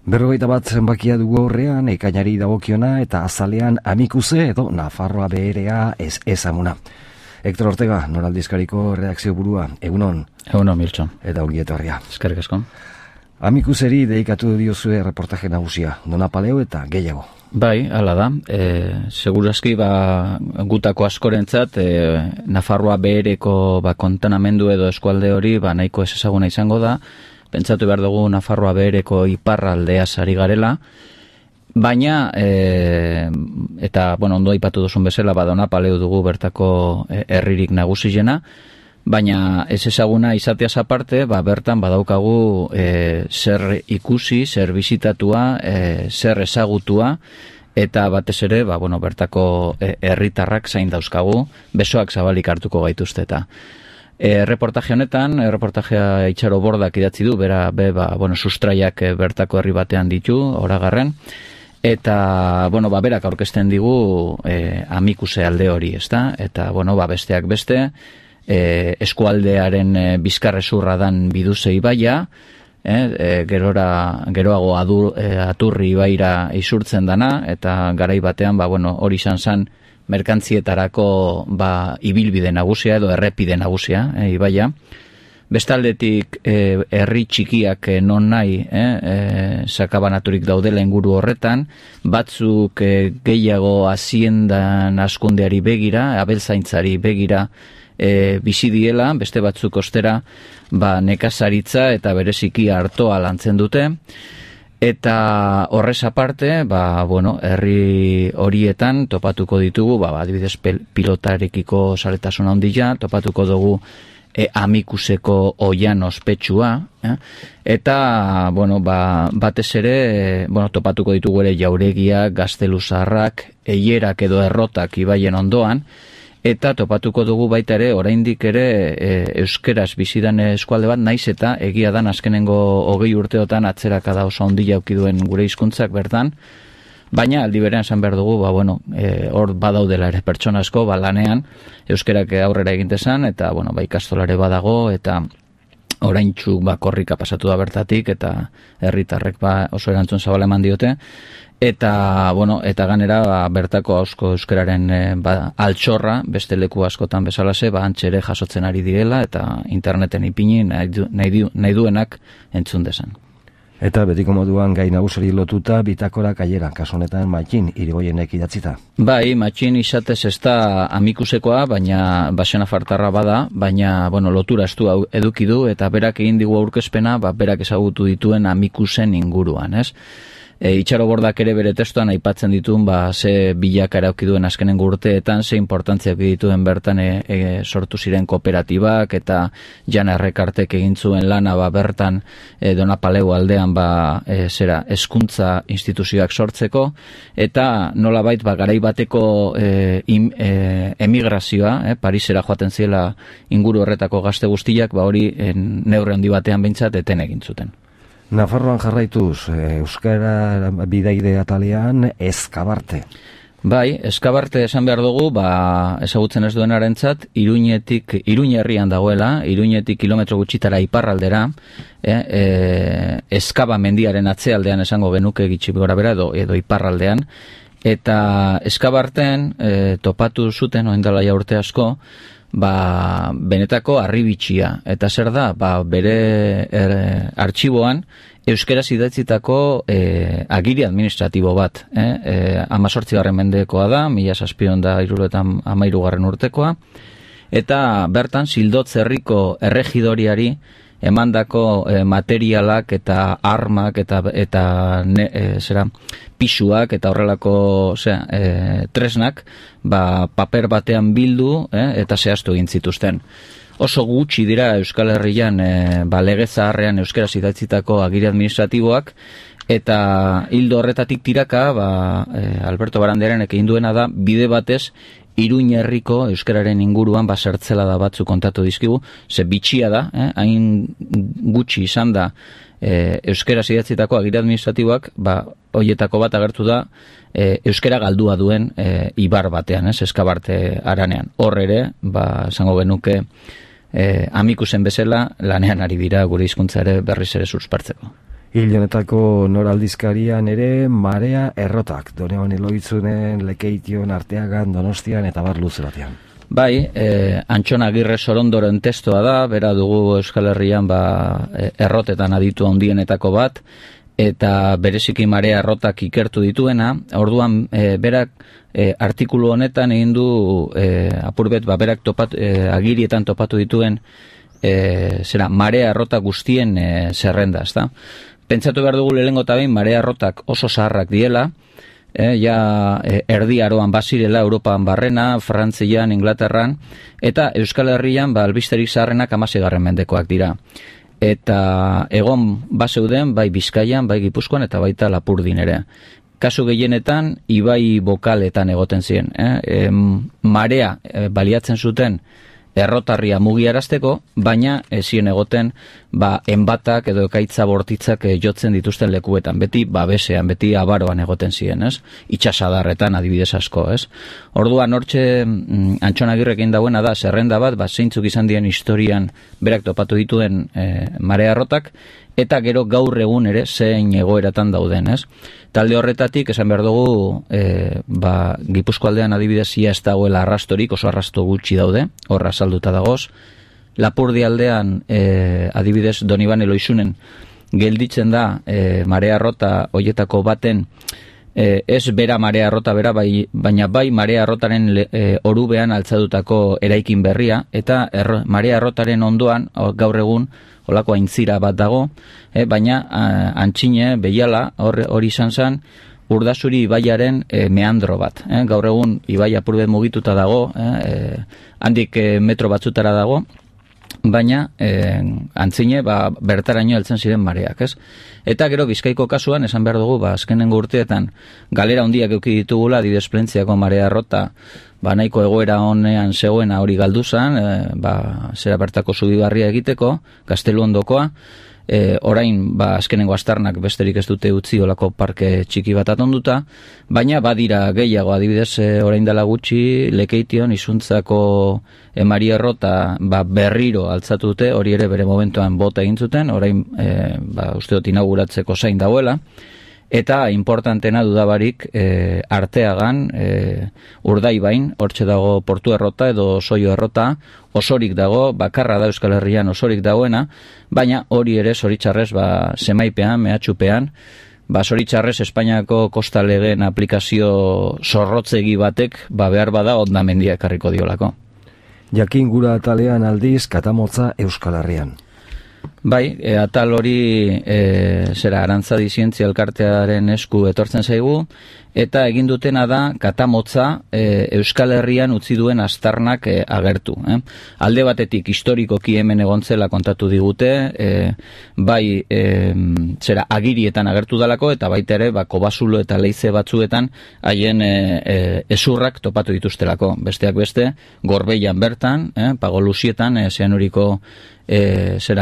41 zenbakia dugu aurrean, ekainari dagokiona eta azalean Amikuze edo Nafarroa beherea ezamuna. Hector Ortega, Noraldizkariko redakzio burua, egunon. Egunon, Miltxo. Eta ongi etorria. Eskerrik asko. Amikuzeri dedikatu diozue reportaje nagusia, Donapaleo eta gehiago. Bai, hala da. Segurazki gutako askorentzat Nafarroa behereko kontenamendu edo eskualde hori nahiko ez ezaguna izango da. Pentsatu behar dugu Nafarroa behereko iparraldeaz ari garela, baina, eta, ondo aipatu duzun bezala, Donapaleu dugu bertako herririk nagusiena, baina ez ezaguna izateaz aparte, bertan badaukagu zer ikusi, zer bizitatua, zer ezagutua, eta batez ere, bertako herritarrak zain dauzkagu, besoak zabalik hartuko gaituzte eta. Reportaje honetan, reportajea Itxaro Bordak idatzi du, sustraiak bertako herri batean ditu, oragarren, eta, berak aurkezten digu Amikuse alde hori, ezta? Eta, besteak beste, eskualdearen bizkarrezurra dan Biduze ibaia, geroago Aturri ibaira isurtzen dana, eta garai batean, hori izan merkantzietarako ibilbide nagusia edo errepide nagusia, ibaia. Bestaldetik herri txikiak non nahi sakabanaturik daudela inguru horretan, batzuk gehiago haziendan askundeari begira, abeltzaintzari begira bizi diela, beste batzuk ostera nekazaritza eta bereziki artoa lantzen dute. Eta horrez aparte, herri horietan topatuko ditugu, adibidez pilotarekiko zaletasuna handia, topatuko dugu Amikuseko oian ospetsua, eta, batez ere, topatuko ditugu ere jauregiak, gazteluzarrak, eierak edo errotak ibaien ondoan, eta topatuko dugu baita ere, oraindik ere euskeraz bizidan eskualde bat, naiz eta egia dan azkenengo 20 urteotan atzerakada oso handia auki duen gure hizkuntzak bertan, baina aldi berean esan behar dugu, hor badaudela ere pertsona asko, lanean euskerak aurrera egintezan, eta ikastolare badago, eta oraintxu korrika pasatu da bertatik, eta herritarrek oso erantzun zabala eman diote, eta ganera bertako ausko euskararen altxorra, beste leku askotan bezalase, antxere jasotzen ari direla, eta interneten ipini nahi duenak entzun desan. Eta betiko moduan gai nagusari lotuta bitakora kaiera, kasu honetan Matxin Irigoienek idatzita. Bai, Matxin izatez ez da Amikusekoa, baina basena fartarra bada, baina lotura estu eduki du, eta berak egin digu aurkezpena, berak ezagutu dituen Amikusen inguruan, ez? Itxaro Bordak ere bere testuan aipatzen dituen ze bilakaera auki duen azkenengo urteetan, ze importantzia auki dituen bertan sortu ziren kooperatibak eta Jan Errekartek egin zuen lana bertan Donapaleu aldean hezkuntza instituzioak sortzeko, eta nolabait garai bateko emigrazioa, Parisera joaten ziela inguru horretako gazte guztiak, hori neurri handi batean behintzat eten egin zuten. Nafarroan jarraituz, euskara bidaide atalean Eskabarte. Bai, Eskabarte esan behar dugu, ezagutzen ez duenarentzat, Iruin herrian dagoela, Iruinetik kilometro gutxitara iparraldera, Eskaba mendiaren atzealdean esango genuke gitxi gora bera edo iparraldean, eta Eskabarten topatu zuten, oindala ja urte asko, benetako harribitxia, eta zer da, bere artxiboan euskeraz idatzitako agiri administratibo bat, 18. mendekoa da, 1713 urtekoa, eta bertan Zildotz herriko erregidoriari emandako materialak eta armak eta pisuak eta horrelako tresnak paper batean bildu eta zehaztu egin zituzten. Oso gutxi dira Euskal Herrian lege zaharrean euskaraz idatzitako agiri administratiboak, eta hildo horretatik tiraka Alberto Barandiaranek egin duena da bide batez Iruin herriko euskararen inguruan zertzela da batzu kontatu dizkigu, ze bitxia da, hain gutxi izan da euskaraz idatzitako agiri administratiboak, hoietako bat agertu da euskara galdua duen ibar batean, Eskabarte haranean. Hor ere, esango genuke Amikusen bezala lanean ari dira gure hizkuntza ere berriz ere suspertzeko. Hil honetako noraldizkarian ere marea errotak, Doneban Eloitzunen, Lekeition, Arteagan, Donostian eta bar luze batean. Bai, Antxon Agirre Sorondoren testoa da, bera dugu Euskal Herrian errotetan aditu handienetako bat, eta bereziki marea errotak ikertu dituena. Orduan berak artikulu honetan egin du apurbet berak agirietan topatu dituen marea errota guztien zerrenda, ezta? Pentsatu behar dugu lehenengo eta behin marea errotak oso zaharrak diela, erdi aroan bazirela Europan barrena, Frantzian, Inglaterran, eta Euskal Herrian albisterik zaharrenak 16. mendekoak dira. Eta egon bazeuden bai Bizkaian, bai Gipuzkoan eta baita Lapurdin ere. Kasu gehienetan ibai bokaletan egoten ziren. Marea baliatzen zuten errotarria mugiarazteko, baina ezien egoten enbatak edo ekaitza bortitzak jotzen dituzten lekuetan, beti babesean, beti abaroan egoten ziren, ez? Itxasadarretan adibidez asko, ez? Orduan hortxe Antxon Agirrekin dauena da zerrenda bat, zeintzuk izan dien historian berak topatu dituen marea errotak, eta gero gaur egun ere zein egoeratan dauden, ez? Talde horretatik, esan behar dugu, Gipuzko aldean adibidez ia ez dagoela arrastorik, oso arrasto gutxi daude, horra salduta dagoz. Lapurdi aldean, adibidez, Doniban Eloizunen gelditzen da marea errota hoietako baten, ez bera marea errota bera, baina bai marea errotaren orubean altzadutako eraikin berria, eta marea errotaren ondoan, gaur egun, holako aintzira bat dago, baina antxine, behiala, hori izan zen, Urdazuri ibaiaren meandro bat. Gaur egun ibai apurbet mugituta dago, handik metro batzutara dago, baina antzine bertaraino heltzen ziren mareak, ez? Eta gero Bizkaiko kasuan, esan behar dugu, azkenengo urteetan galera handiak eduki ditugula, adibidez Plentziako marea errota, nahiko egoera honean zegoena hori galdu zen, zera bertako zubibarria egiteko, Gaztelu ondokoa, orain azkenengo astarnak besterik ez dute utzi olako parke txiki bat atonduta, baina badira gehiago, adibidez orain dela gutxi Lekeition Izuntzako Maria errota berriro altzatu dute, hori ere bere momentuan bota egin zuten, orain uste dut inauguratzeko zain dauela. Eta importantena dudabarik Arteagan, Urdaibain, hortxe dago Portu errota edo Soio errota, osorik dago, bakarra da Euskal Herrian osorik dagoena, baina hori ere zoritxarrez zemaipean, mehatxupean, zoritxarrez Espainiako kosta legeen aplikazio zorrotzegi batek behar bada hondamendia ekarriko diolako. Jakin gura atalean aldiz katamotza Euskal Herrian. Bai, atal hori Arantzadi Zientzia Elkartearen esku etortzen zaigu, eta egin dutena da katamotza Euskal Herrian utzi duen astarnak agertu. Alde batetik historikoki hemen egontzela kontatu digute, bai agirietan agertu dalako, eta baita ere Kobazulo eta Leize batzuetan haien ezurrak topatu dituztelako. Besteak beste, Gorbeian bertan, Pagolusietan, Zeanuriko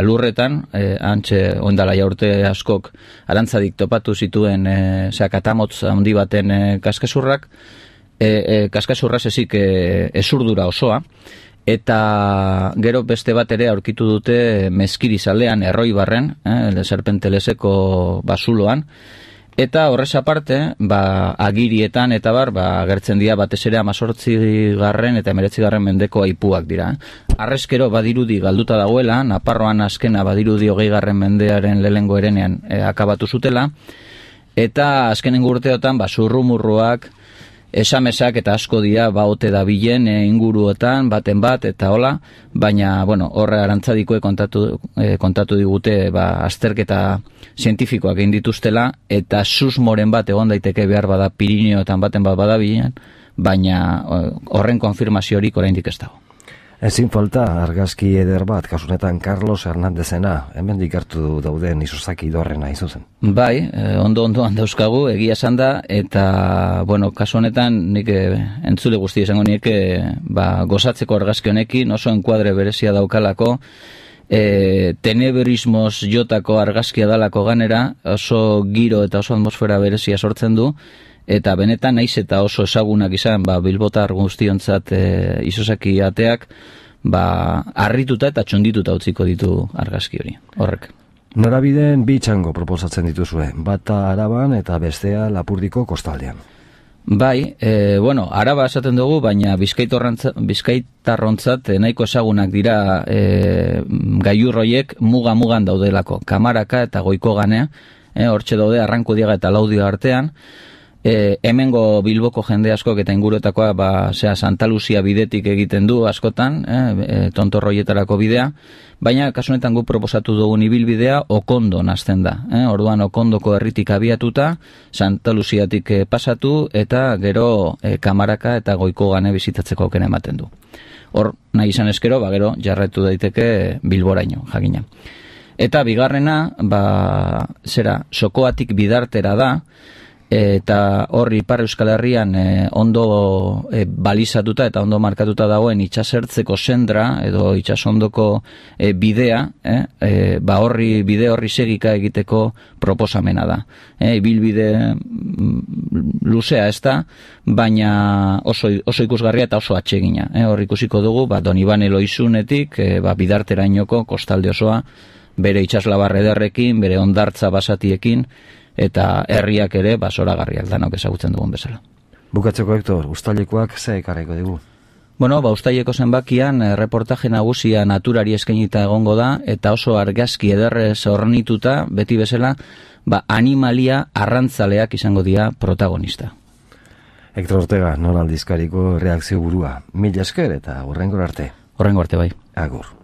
lurretan, antxe ondala jaurte askok Arantzadik topatu zituen katamotz handi baten kaskasurrak, kaskasurraz ezik ezurdura osoa, eta gero beste bat ere aurkitu dute Mezkirizalean, Erroibarren, Serpenteleseko basuloan, eta horrez aparte, agirietan eta agertzen dira batez ere 18. eta 19. mendeko aipuak dira. Arrezkero badirudi galduta dagoela, Naparroan azkena badirudi 20. mendearen lehengo erenean akabatu zutela, eta azkenengo urteotan zurrumurruak, esamesak eta asko dira ote dabilen inguruotan, baten bat, eta hola, baina, horre Arantzadikoek kontatu digute azterketa zientifikoak egin dituztela, eta susmoren bat egon daiteke behar bada Pirineoetan baten bat badabilen, baina horren konfirmaziorik oraindik ez dago. Ezin falta argazki eder bat, kasunetan Carlos Hernandezena, hemendik hartu dauden Isozaki Dorrena izuzen. Bai, ondo-ondoan dauzkagu, egia esan da, eta, kasu honetan, nik entzule guzti esango nik, gozatzeko argazki honekin, oso enkuadre berezia daukalako, tenebrismoz jotako argazkia dalako ganera, oso giro eta oso atmosfera berezia sortzen du, eta benetan naiz eta oso ezagunak izan bilbotar guztiontzat Isozaki ateak harrituta eta txondituta utziko ditu argazki hori, horrek. Norabideen bi txango proposatzen dituzue, bata Araban eta bestea Lapurdiko kostaldean. Bai, Araba esaten dugu, baina bizkaitarrontzat nahiko ezagunak dira gailurroiek muga-mugan daudelako, Kamaraka eta Goiko Ganea, hortxe daude Arrankudiaga eta Laudio artean. Hemengo Bilboko jende askok eta inguruetakoa Santa Lucia bidetik egiten du askotan, tontorroietarako bidea, baina kasu honetan guk proposatu dugun ibilbidea Okondon hasten da. Orduan Okondoko herritik abiatuta, Santa Luciatik pasatu eta gero Kamaraka eta Goiko Gane bizitatzeko aukera ematen du. Hor nahi izan eskero, gero jarraitu daiteke Bilboraino, jakina. Eta bigarrena, Sokoatik Bidartera da, eta hor Ipar Euskal Herrian ondo balizatuta eta ondo markatuta dagoen itsasertzeko sendra edo itsasondoko bidea, bide horri segika egiteko proposamena da. Ibilbide luzea ez da, baina oso ikusgarria eta oso atsegina. Hor ikusiko dugu, Donibane Loizunetik Bidarterainoko kostalde osoa, bere itsaslabar ederrekin, bere hondartza basatiekin, eta herriak ere zoragarriak danok ezagutzen dugun bezala. Bukatzeko, Hector, uztailekoak ze ekarriko dugu? Uztaileko zenbakian reportaje nagusia naturari eskainita egongo da, eta oso argazki ederrez ornituta, beti bezala, animalia arrantzaleak izango dira protagonista. Hector Ortega, Nor Aldizkariko redakzio burua. Mila esker eta hurrengora arte. Hurrengo arte bai. Agur.